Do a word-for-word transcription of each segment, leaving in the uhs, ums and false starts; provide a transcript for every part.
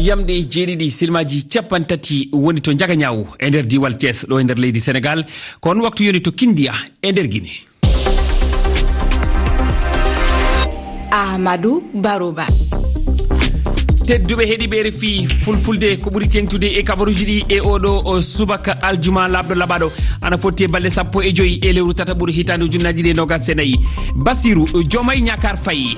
Yamɗe jeeɗiɗi silmaaji capanɗe tati woni to Njagañaawu e nder diiwal Thiès, ɗo e nder leydi Senegaal. Ko on waktu yoni to Kindiya e nder Gine. Ahmadu Baruba. Tedduɓe heɗiiɓe R F I Fulfulde, ko ɓuri teeŋtude e kabaruuji ɗi e oɗo o subaka aljuma laaɓɗo laɓaɗo, ana fotti e balɗe sappo e joyi e lewru tataɓuru hitaande ujunnaaji ɗiɗi e noogas e nayi. Basiru Jomay Ñakar Faye,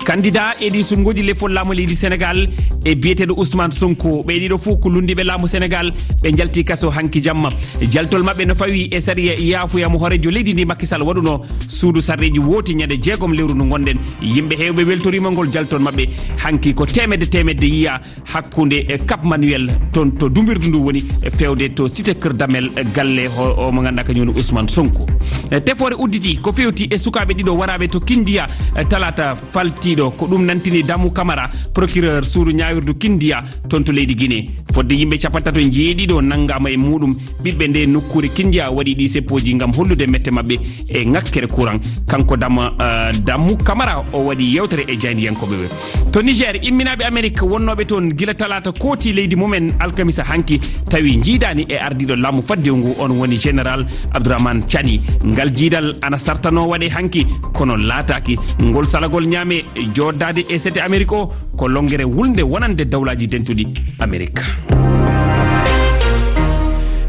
kandida e ɗi sumngooji lefol laamu leydi Senegaal, e biyeteeɗo Ousmane Sonko, ɓe ɗiɗo fof ko lunndiiɓe laamu Senegaal, ɓe njalti kaso hanki jamma. Jaltol maɓɓe no fawi e sariya yaafuya mo hooreejo leydi ndi Macky Sall waɗuno suudu sarɗiiji wooti ñande jeegom lewru ndu ngonɗen. Yimɓe heewɓe weltoriima ngol jaltol maɓɓe. Hanki ko teemedde teemedde yiya hakkunde e Cap Manuel, toon to dumbirdu ndu woni, e feewde to Cité Kër Damel, galle ho-, o mo ngannduɗaa kañum woni Ousmane Sonko. E tefoore udditi ko feewti e sukaaɓe ɗiɗo waraaɓe to Kindiya, e talaata faltiiɗo. Ko ɗum nantini Damu Camara, procureur suudu ñaawirdu Kindiya, toon to leydi Gine. Fodde yimɓe capanɗe tato e jeeɗiɗo nanngaama e muɗum. Ɓiɓɓe nde nokkuure Kindiya waɗi ɗi seppooji ngam hollude mette maɓɓe e ŋakkere courant. Kanko Dama, eh, Damu Camara, o waɗi yewtere e jaayndiyankooɓe ɓe. To Niger, imminaaɓe Amerik wonnooɓe toon gila talaata kooti leydi mumen alkamisa hanki, tawi njiidaani e ardiiɗo laamu faddewu ngu, on woni Général Abdourahmane Tchani. Ngal jiidal ana sartanoo waɗe hanki, kono laataaki. Ngol salagol ñaame jooɗdaade e sete Amerik o, ko lonngere wulnde wonande Dawlaaji Dentuɗi Amerik.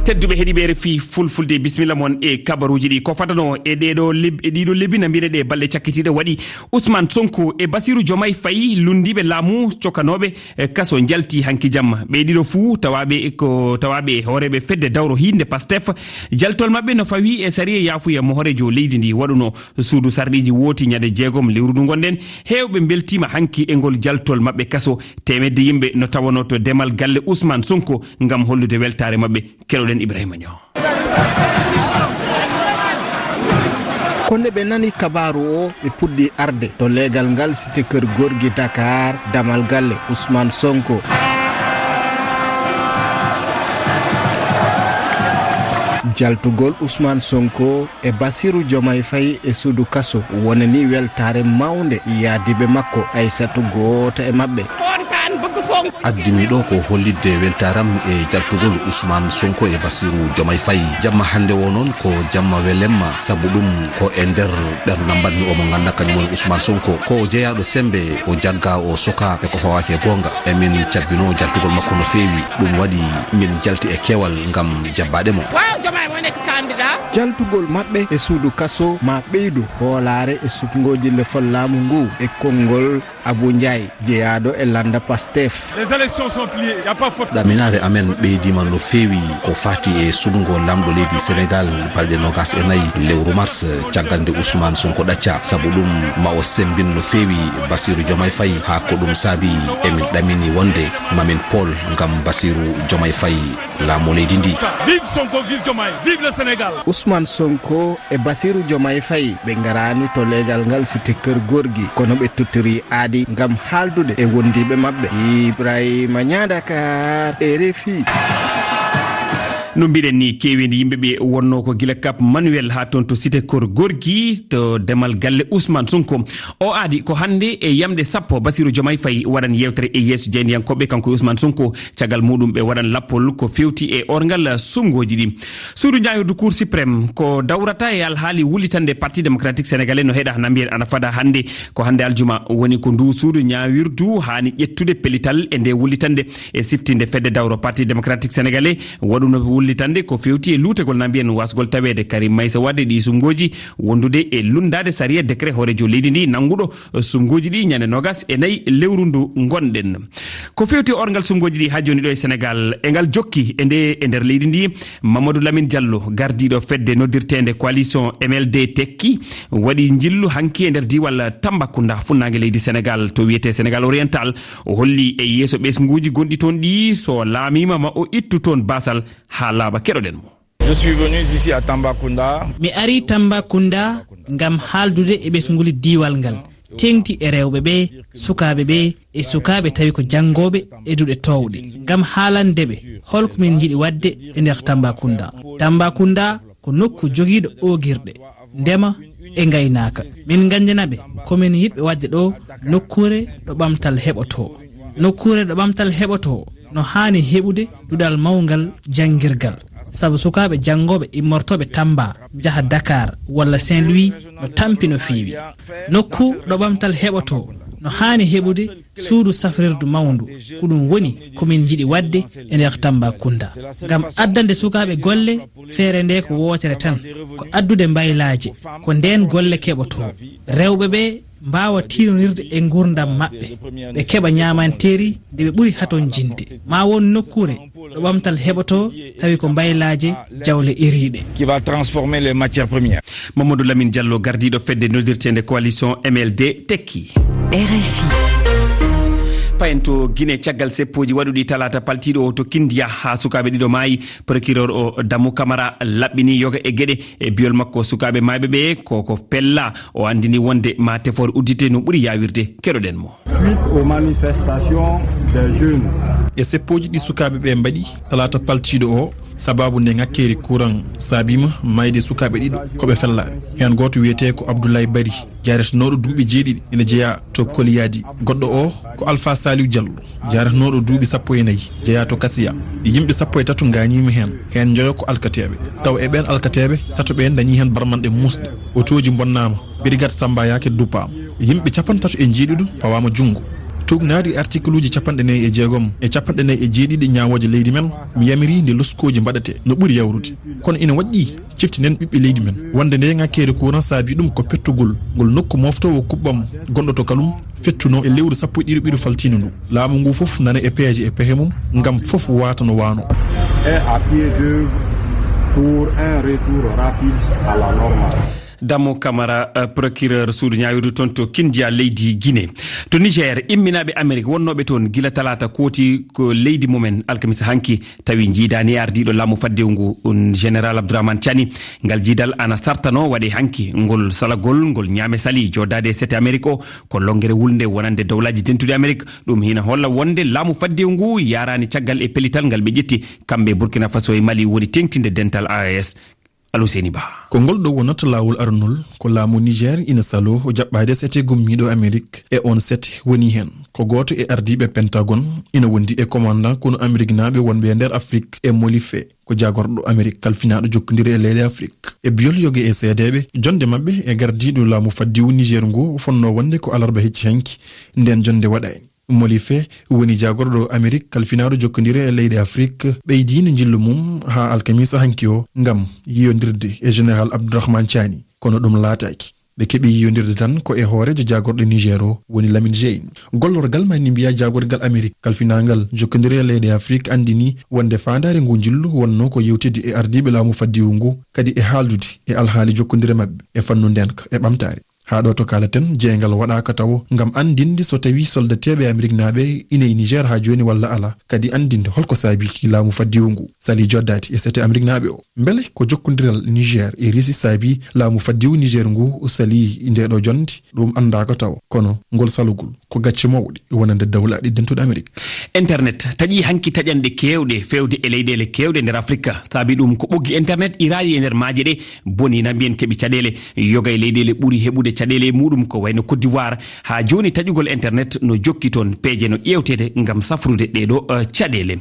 Tedduɓe heɗiiɓe R F I Fulfulde, bisimilla mon e kabaruuji ɗi. Ko fadanoo e ɗeeɗo leb-, e ɗiɗo lebbi na mbiyɗe ɗe balɗe cakkitiiɗe waɗi, Ousmane Sonko e Bassirou Diomaye Faye, lunndiiɓe laamu cokanooɓe e kaso, njalti hanki jamma. Ɓe ɗiɗo fuu tawaaɓe ko tawaaɓe e hooreeɓe fedde dawro hiinde Pastef. Jaltol maɓɓe no fawi e sariya yaafuya mo hooreejo leydi ndi waɗuno suudu sarɗiiji wooti ñande jeegom lewru ndu ngonɗen. Heewɓe mbeltiima hanki e ngol jaltol maɓɓe kaso. Teemedde yimɓe no tawanoo to demal galle Ousmane Sonko ngam hollude weltaare maɓɓe. Keɗoɗen Ibrahima Niang. Ko nde ɓe nani kabaaru o, ɓe puɗɗi arde to leegal ngal Cité Keur Gorgui Dakar, damal galle Ousmane Sonko. Jaltugol Ousmane Sonko e Bassirou Diomaye Faye e suudu kaso wonani weltaare mawnde yaadiiɓe makko, Aissatou gooto e maɓɓe. Addimi ɗo ko hollitde weltaaram e jaltugol Ousmane Sonko e Bassirou Diomaye Faye. Jamma hannde o noon ko jamma welemma, sabu ɗum ko e nder ɓernam mbaɗmi omo ngannduɗaa kañum woni Ousmane Sonko. Ko o jeyaaɗo semmbe, o jagga, o soka e ko fawaaki e goonga. E min cabbinoo jaltugol makko no feewi. Ɗum waɗi min jalti e keewal ngam jabbaade mo. Jaltugol maɓɓe e suudu kaso ma ɓeydu hoolaare e suɓngooji lefol laamu ngu e konngol Abou Ndiaye, jeyaaɗo e lannda Pastef. Les élections sont pliées, y a pas photo. Ɗaminaare amen ɓeydiima no feewi ko faati e suɓngo laamɗo leydi Senegaal balɗe noogas e nayi lewru mars, caggal nde Ousmane Sonko ɗacca. Sabu ɗum, ma o semmbin no feewi Bassirou Diomaye Faye, haa ko ɗum saabi emin ɗamini wonde mamin pool ngam Bassirou Diomaye Faye laamu leydi ndi. Vive Sonko, vive Diomaye, vive le Sénégal. Ousmane Sonko e Bassirou Diomaye Faye ɓe ngaraani to leegal ngal Cité Keur Gorgui, kono ɓe tottori aadi ngam haaldude e wondiiɓe maɓɓe. Ibrahima Niang, Dakar, R F I. No mbiɗen ni, keeweendi yimɓe ɓe wonnoo ko gila Cap Manuel haa toon to Cité Keur Gorgui, to demal galle Ousmane Sonko. O aadi ko hannde e yamɗe sappo, Bassirou Diomaye Faye waɗan yeewtere e yeeso jaayndiyankooɓe, kanko e Ousmane Sonko. Caggal muɗum, ɓe waɗan lappol ko feewti e orngal suɓngooji ɗi. Suudu ñaawirdu Cour suprême ko dawrata e alhaali wullitande Parti démocratique sénégalais no heɗa na mbiyen ana fada hannde. Ko hannde aljuma woni ko ndu suudu ñaawirdu haani ƴettude pellital e nde wullitande e siftinde fedde dawro Parti démocratique sénégalais waɗuno wullitande ko feewti e luutagol na mbiyen wasgol taweede Karim Meïssa Wade ɗi suɓngooji wondude e lunndaade sariya décret hooreejo leydi ndi nannguɗo suɓngooji ɗi ñande noogas e nayi lewru ndu ngonɗen. Ko feewti orngal suɓngooji ɗi haa jooni ɗo e Senegaal, e ngal jokki e nde, e nder leydi ndi, Mamadou Lamine Diallo, gardiiɗo fedde noddirteende Coalition M L D Tekki, waɗi njillu hanki e nder diiwal Tambacounda, funnaange leydi Senegaal, to wiyetee Senegaal Oriental. O holli e yeeso ɓesnguuji gonɗi toon ɗi, so laamiima ma o ittu toon baasal haa laaɓa. Keɗoɗen mo. Je suis venu ici à Tambacounda. Mi ari Tambacounda ngam haaldude e ɓesnguli diiwal ngal, teeŋti e rewɓe ɓe, sukaaɓe ɓe, e sukaaɓe tawi ko janngooɓe e duɗe toowɗe, ngam haalande ɓe hol ko min njiɗi waɗde e nder Tambacounda. Tambacounda ko nokku jogiiɗo oogirɗe, ndema e ngaynaaka. Min nganndina ɓe ko min yiɗɓe waɗde ɗo, nokkuure ɗo ɓamtal heɓotoo. Nokkuure ɗo ɓamtal heɓotoo no haani heɓude duɗal mawngal janngirgal, sabu sukaaɓe janngooɓe immortooɓe Tamba njaha Dakar walla Saint-Louis no tampi no feewi. Nokku ɗo ɓamtal heɓotoo no haani heɓude suudu safrirdu mawndu, ko ɗum woni ko min njiɗi waɗde e nder Tambacounda, ngam addande sukaaɓe golle. Feere nde ko wootere tan, ko addude mbaylaaje, ko ndeen golle keɓotoo. Rewɓe ɓe mbaawa tiironirde e nguurndam maɓɓe, ɓe keɓa ñaamanteeri nde ɓe ɓuri hatonjinde. Ma won nokkuure ɗo ɓamtal heɓotoo, tawi ko mbaylaaje jawle iriiɗe. Qui va transformer les matières premières. Mamadou Lamine Diallo, gardiiɗo fedde noddirteende coalition M L D, tekki. R F I. Payen to Guinée, caggal seppooji waɗuɗi talaata paltiiɗo o to Kindia, haa sukaaɓe ɗiɗo maayi. Procureur o, Damu Kamara, laɓɓini yoga e geɗe. E biyol makko, sukaaɓe maayɓe ɓe ko, ko pella. O anndini wonde ma tefoore uddite no ɓuri yaawirde. Keɗoɗen mo. Suite aux manifestations des jeunes. E seppooji ɗi sukaaɓe ɓe mbaɗi talaata paltiiɗo o, sababu nde ŋakkeeri kuran saabiima maayde sukaaɓe ɗiɗo ko ɓe fellaaɓe. Heen gooto wiyetee ko Abdoulaye Bari, jaaretenooɗo duuɓi jeeɗiɗi, ene jeyaa to Koliyadi. Goɗɗo o ko Alpha Saliou Diallo, jaaretenooɗo duuɓi sappo e nayi, jeyaa to Kasiya. Yimɓe sappo e tato ngaañiima heen, heen njoyo ko alkateeɓe. Taw e ɓeen alkateeɓe, tato ɓeen ndañii heen barmanɗe muusɗe. Otooji mbonnaama, Brigade Samba Yake duppaama. Yimɓe capanɗe tato e jeeɗiɗo pawaama junngo. Tuugnaade e artikuluuji capanɗe nayi e jeegom e capanɗe nayi e jeeɗiɗi ñaawooje leydi men, mi yamirii nde loskooji mbaɗetee no ɓuri yawrude. Kono ina waɗɗii ciftinen ɓiɓɓe leydi men wonde nde ŋakkeere kuran saabii ɗum ko pettugol ngol nokku mooftoowo kuɓɓam gonɗo to Kalum, fettuno e lewru sappo e ɗiɗi ɓiɗo faltiino ndu. Laamu ngu fof nana e peeje e pehe mum ngam fof waata no waano. Et à pied d'œuvre pour un retour rapide à la normale. Damo Kamara, eh, procureur suudu ñaawirdu toon to Kindia, leydi Guinée. To Niger, imminaaɓe Amerik wonnooɓe toon gila talaata kooti ko leydi mumen alkamisa hanki, tawi njiidaani e ardiiɗo laamu faddewu ngu, un Général Abdourahmane Tiani. Ngal jiidal ana sartano waɗe hanki. Ngol salagol, ngol ñaame sali joodaade e sete Amerik o, ko lonngere wulnde wonande Dowlaaji Dentuɗi Amerik. Ɗum hina holla wonde laamu faddewu ngu yaaraani caggal e pellital ngal ɓe ƴetti, kamɓe Burkina Faso e Mali woni teeŋtinde dental A E S. Aluseni Ba. Ko ngol ɗo wonata laawol aranol, ko laamu Niger ina saloo o jaɓɓaade sete gummiiɗo Amerik, e oon sete woni heen ko gooto e ardiiɓe Pentagon, ina wondi e commandant konu Ameriknaaɓe wonɓe e nder Afrik, e Molife, ko jaagorɗo Amerik kalfinaaɗo jokkondire e leyɗe Afrik. E biyol yoge e seedeeɓe, jonde maɓɓe e gardiiɗo laamu faddewu Niger ngu fonnoo wonde ko alarba hecci hanki, ndeen jonde waɗaani. Molife woni jaagorɗo Amerik kalfinaaɗo jokkondire e leyɗe Afrik, ɓeydiino njillu mum haa alkamisa hanki o ngam yiyondirde e Général Abdourahmane Tiani, kono ɗum laataaki. Ɓe keɓi yiyondirde tan ko e hooreejo jaagorɗo Niger o, woni Lamine Zein. Gollorgal maa ni mbiya jaagorgal Amerik kalfinaangal jokkondire e leyɗe Afrik anndini wonde faandaare ngu njillu wonno ko yewtide e ardiiɓe laamu faddewu ngu, kadi e haaldude e alhaali jokkondire maɓɓe e fannu ndeenka e ɓamtaare. Haa ɗo to kaalaten, jeyngal waɗaaka tawo ngam anndinde so tawii soldateeɓe Ameriknaaɓe ina e Niger haa jooni walla alaa, kadi anndinde holko saabii laamu faddewu ngu salii joddaade e sete Ameriknaaɓe o. Mbele ko jokkondiral Niger e Russie saabii laamu faddewu Niger ngu salii ndeeɗo jonnde? Ɗum anndaaka tawo, kono ngol salugol ko gacce mawɗe wonande Dawlaaɗi Dentuɗi Amerik. Internet taƴii hanki taƴanɗe keewɗe feewde e leyɗeele keewɗe nder Afrika. Saabii ɗum ko ɓoggi internet iraaɗi e nder maaje ɗe boni na mbiyen keɓi caɗeele. Yoga e leyɗeele ɓuri heɓude caɗeele e muɗum ko wayno Côte d'Ivoire. Haa jooni taƴugol internet no jokki toon, peeje no ƴeewteede ngam safrude ɗeeɗo, eh, caɗeele.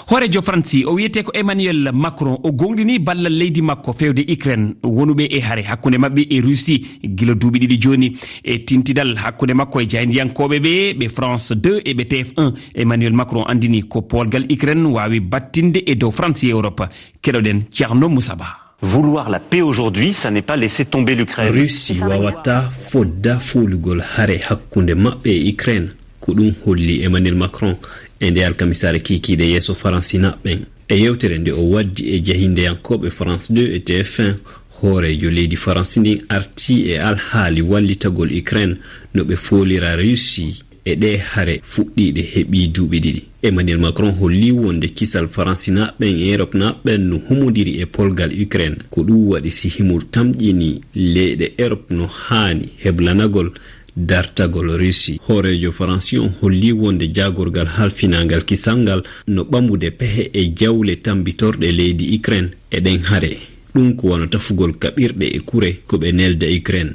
Hooreejo Faransi o wiyetee ko Emmanuel Macron, o gooŋɗini ballal leydi makko feewde Ukraine, wonuɓe e hare hakkunde maɓɓe e Russie gila duuɓi ɗiɗi jooni. E tintidal hakkunde makko e jaayndiyankooɓe ɓe, ɓe France deux e ɓe T F un, Emmanuel Macron anndini ko poolgal Ukraine waawi battinde e dow France e Europe. Keɗoɗen Thierno Moussa Ba. Vouloir la paix aujourd'hui, ça n'est pas laisser tomber l'Ukraine. Russie wawata fodda fuulugol hare hakkunde maɓɓe e Ukraine. Ko ɗum holli Emmanuel Macron e nde alkamisaare kiikiiɗe yeeso Faransinaaɓe ɓen. E yewtere nde o waddi e jahindeyankooɓe France deux e T F un, hooreejo leydi Faransi ndin arti e alhaali wallitagol Ukraine no ɓe foolira Russie e ɗee hare fuɗɗiiɗe heɓii duuɓi ɗiɗi. Emmanuel Macron holli wonde kisal Faransinaaɓe ɓen e Eropnaaɓe ɓen no humondiri e polgal Ukraine. Ko ɗum waɗi si himo tamƴini leyɗe Erop no haani heblanagol dartagol Russie. Hooreejo Faransi on holli wonde jaagorgal halfinaangal kisal ngal no ɓamude pehe e jawle tambitorɗe leydi Ukraine e ɗen hare. Ɗum ko wano tafugol kaɓirɗe e kure ko ɓe nelda Ukraine.